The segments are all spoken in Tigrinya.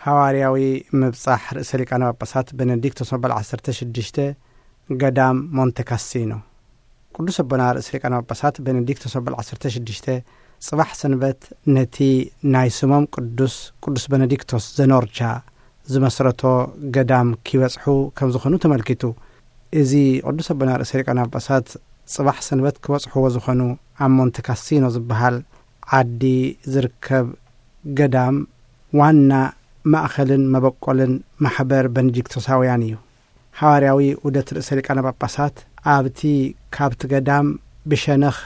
ሃዋርያዊ ምብጻሕ ርእሰ ሊቃነ ጳጳሳት ቤኔዲክቶስ መበል ዓሰርተ ሽዱሽተ፣ ገዳም ሞንተ ካሲኖ። ቅዱስ ኣቦና ርእሰ ሊቃነ ጳጳሳት ቤኔዲክቶስ መበል ዓሰርተ ሽዱሽተ፣ ጽባሕ ሰንበት ነቲ ናይ ስሞም ቅዱስ፣ ቅዱስ ቤኔዲክቶስ ዘኖርቻ ዝመስረቶ ገዳም ኪበጽሑ ከም ዝኾኑ ተመልኪቱ። እዚ ቅዱስ ኣቦና ርእሰ ሊቃነ ጳጳሳት ጽባሕ ሰንበት ክበጽሕዎ ዝኾኑ፣ ኣብ ሞንተ ካሲኖ ዝበሃል ዓዲ ዝርከብ ገዳም ዋና ማእኸልን መበቆልን ማሕበር ቤኔዲክቶሳውያን እዩ። ሃዋርያዊ ዑደት ርእሰ ሊቃነ ጳጳሳት ኣብቲ ካብቲ ገዳም ብሸነኽ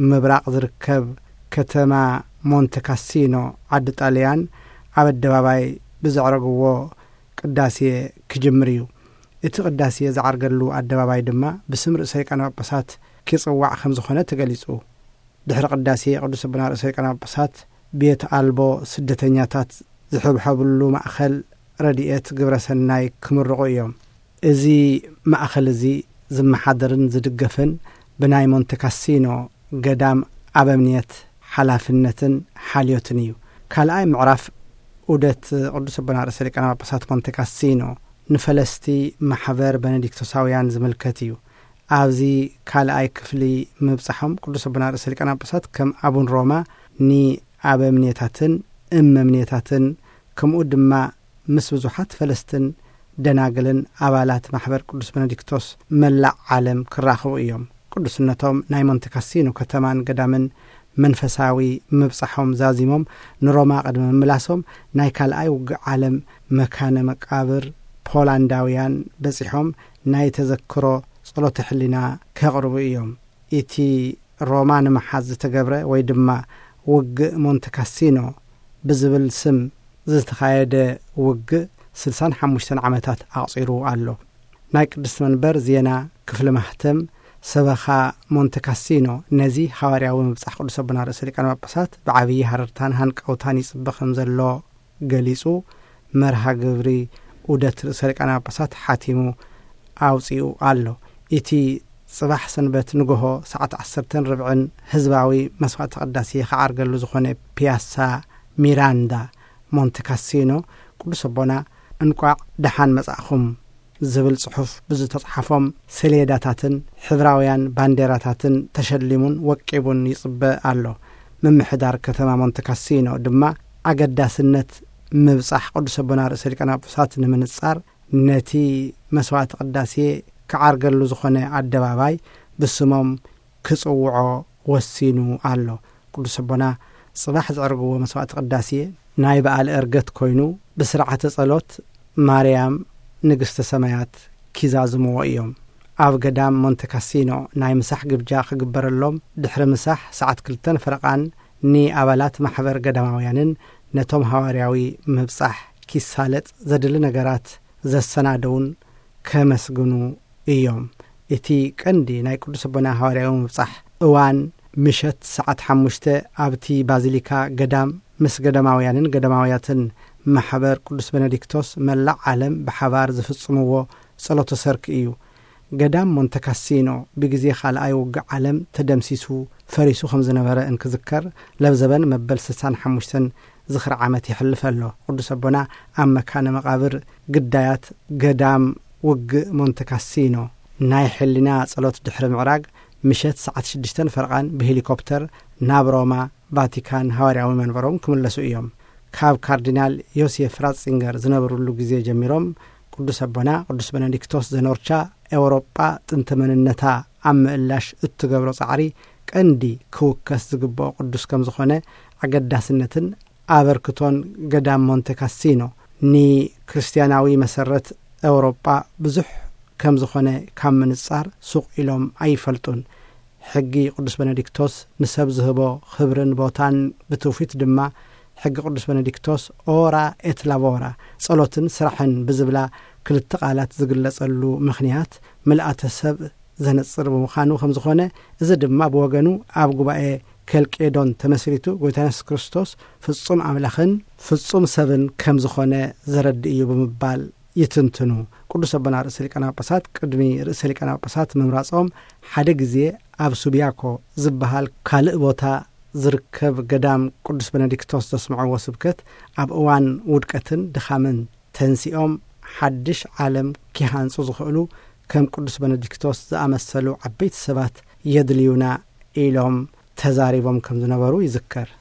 ምብራቕ ዝርከብ ከተማ ሞንተ ካሲኖ፣ ዓዲ ጣልያን፣ ኣብ ኣደባባይ ብዘዕረግዎ ቅዳሴ ክጅምር እዩ። እቲ ቅዳሴ ዝዓርገሉ ኣደባባይ ድማ ብስም ርእሰ ሊቃነ ጳጳሳት ኪጽዋዕ ከም ዝኾነ ተገሊጹ። ድሕሪ ቅዳሴ ቅዱስ ኣቦና ርእሰ ሊቃነ ጳጳሳት ቤት ኣልቦ ስደተኛታት ዝሕብሐብሉ ማእኸል ረድኤት ግብረ ሰናይ ክምርቑ እዮም። እዚ ማእኸል እዚ ዝመሓደርን ዝድገፍን ብናይ ሞንተ ካሲኖ ገዳም ኣበምኔት ሓላፍነትን ሓልዮትን እዩ። ካልኣይ ምዕራፍ ዑደት ቅዱስ ኣቦና ርእሰ ሊቃነ ጳጳሳት ሞንተ ካሲኖ ንፈለስቲ ማሕበር ቤኔዲክቶሳውያን ዝምልከት እዩ። ኣብዚ ካልኣይ ክፍሊ ምብጻሖም ቅዱስ ኣቦና ርእሰ ሊቃነ ጳጳሳት ከም ኣቡን ሮማ ንኣበምኔታትን እመምኔታትን ከምኡ ድማ ምስ ብዙሓት ፈለስትን ደናግልን ኣባላት ማሕበር ቅዱስ ቤኔዲክቶስ መላእ ዓለም ክራኸቡ እዮም። ቅዱስነቶም ናይ ሞንተ ካሲኖ ከተማን ገዳምን መንፈሳዊ ምብጻሖም ዛዚሞም ንሮማ ቅድሚ ምምላሶም ናይ ካልኣይ ውግእ ዓለም መካነ መቃብር ፖላንዳውያን በጺሖም ናይ ተዘክሮ ጸሎተ ሕሊና ከቕርቡ እዮም። እቲ ሮማ ንምሓዝ ዝተገብረ ወይ ድማ ውግእ ሞንተ ካሲኖ ብዝብል ስም ዝተኻየደ ውግእ ስልሳን ሓሙሽተን ዓመታት ኣቕጺሩ ኣሎ። ናይ ቅድስቲ መንበር ዜና ክፍሊ ማህተም ሰበኻ ሞንተ ካሲኖ ነዚ ሃዋርያዊ ምብጻሕ ቅዱስ ኣቦና ርእሰ ሊቃነ ጳጳሳት ብዓብዪ ሃረርታን ሃንቀውታን ይጽበ ከም ዘሎ ገሊጹ፣ መርሃ ግብሪ ዑደት ርእሰ ሊቃነ ጳጳሳት ሓቲሙ ኣውጺኡ ኣሎ። እቲ ጽባሕ ሰንበት ንግሆ ሰዓት ዓሰርተን ርብዕን ህዝባዊ መስዋዕተ ቅዳሴ ክዓርገሉ ዝኾነ ፒያሳ ሚራንዳ ሞንተ ካሲኖ፣ ቅዱስ ኣቦና እንቋዕ ደሓን መጻእኹም ዝብል ጽሑፍ ብዝተጽሓፎም ሰሌዳታትን ሕብራውያን ባንዴራታትን ተሸሊሙን ወቂቡን ይጽበ ኣሎ። ምምሕዳር ከተማ ሞንተ ካሲኖ ድማ ኣገዳስነት ምብጻሕ ቅዱስ ኣቦና ርእሰ ሊቃነ ጳጳሳት ንምንጻር ነቲ መስዋዕቲ ቅዳሴ ክዓርገሉ ዝኾነ ኣደባባይ ብስሞም ክጽውዖ ወሲኑ ኣሎ። ቅዱስ ኣቦና ጽባሕ ዘዕርግዎ መስዋዕቲ ቅዳሴ ናይ በዓል ዕርገት ኮይኑ ብስርዓተ ጸሎት ማርያም ንግስተ ሰማያት ኪዛዝምዎ እዮም። ኣብ ገዳም ሞንተ ካሲኖ ናይ ምሳሕ ግብጃ ክግበረሎም ድሕሪ ምሳሕ ሰዓት ክልተን ፈረቓን ንኣባላት ማሕበር ገዳማውያንን ነቶም ሃዋርያዊ ምብጻሕ ኪሳለጥ ዘድሊ ነገራት ዘሰናደውን ከመስግኑ እዮም። እቲ ቀንዲ ናይ ቅዱስ ኣቦና ሃዋርያዊ ምብጻሕ እዋን ምሸት ሰዓት ሓሙሽተ ኣብቲ ባዚሊካ ገዳም ምስ ገዳማውያንን ገዳማውያትን ማሕበር ቅዱስ ቤኔዲክቶስ መላእ ዓለም ብሓባር ዝፍጽምዎ ጸሎተ ሰርክ እዩ። ገዳም ሞንተ ካሲኖ ብግዜ ካልኣይ ውግእ ዓለም ተደምሲሱ ፈሪሱ ከም ዝነበረ እንክዝከር ለብዘበን መበል ስሳን ሓሙሽተን ዝኽሪ ዓመት ይሕልፍ ኣሎ። ቅዱስ ኣቦና ኣብ መካነ መቓብር ግዳያት ገዳም ውግእ ሞንተ ካሲኖ ናይ ሕሊና ጸሎት ድሕሪ ምዕራግ ምሸት ሰዓት ሽዱሽተን ፈረቓን ብሄሊኮፕተር ናብ ሮማ ቫቲካን ሃዋርያዊ መንበሮም ክምለሱ እዮም። ካብ ካርዲናል ዮሴፍ ራትዚንገር ዝነበሩሉ ግዜ ጀሚሮም ቅዱስ ኣቦና ቅዱስ ቤኔዲክቶስ ዘኖርቻ ኤውሮጳ ጥንተ መንነታ ኣብ ምእላሽ እትገብሮ ጻዕሪ ቀንዲ ክውከስ ዝግብኦ ቅዱስ ከም ዝኾነ ኣገዳስነትን ኣበርክቶን ገዳም ሞንተ ካሲኖ ንክርስትያናዊ መሰረት ኤውሮጳ ብዙሕ ከም ዝኾነ ካብ ምንጻር ሱቕ ኢሎም ኣይፈልጡን። ሕጊ ቅዱስ ቤኔዲክቶስ ንሰብ ዝህቦ ክብርን ቦታን ብትውፊት ድማ ሕጊ ቅዱስ ቤኔዲክቶስ ኦራ ኤት ላቮራ ጸሎትን ስራሕን ብዝብላ ክልተ ቃላት ዝግለጸሉ ምኽንያት ምልኣተ ሰብ ዘነጽር ብምዃኑ ከም ዝኾነ፣ እዚ ድማ ብወገኑ ኣብ ጉባኤ ኬልቄዶን ተመስሪቱ ጎይታ የሱስ ክርስቶስ ፍጹም ኣምላኽን ፍጹም ሰብን ከም ዝኾነ ዘረድእ እዩ ብምባል ይትንትኑ። ቅዱስ ኣቦና ርእሰ ሊቃነ ጳጳሳት ቅድሚ ርእሰ ሊቃነ ጳጳሳት ምምራጾም ሓደ ግዜ ኣብ ሱቢያኮ ዝበሃል ካልእ ቦታ ዝርከብ ገዳም ቅዱስ በነዲክቶስ ዘስምዕዎ ስብከት፣ ኣብ እዋን ውድቀትን ድኻምን ተንሲኦም ሓድሽ ዓለም ኪሃንጹ ዝኽእሉ ከም ቅዱስ በነዲክቶስ ዝኣመሰሉ ዓበይቲ ሰባት የድልዩና ኢሎም ተዛሪቦም ከም ዝነበሩ ይዝከር።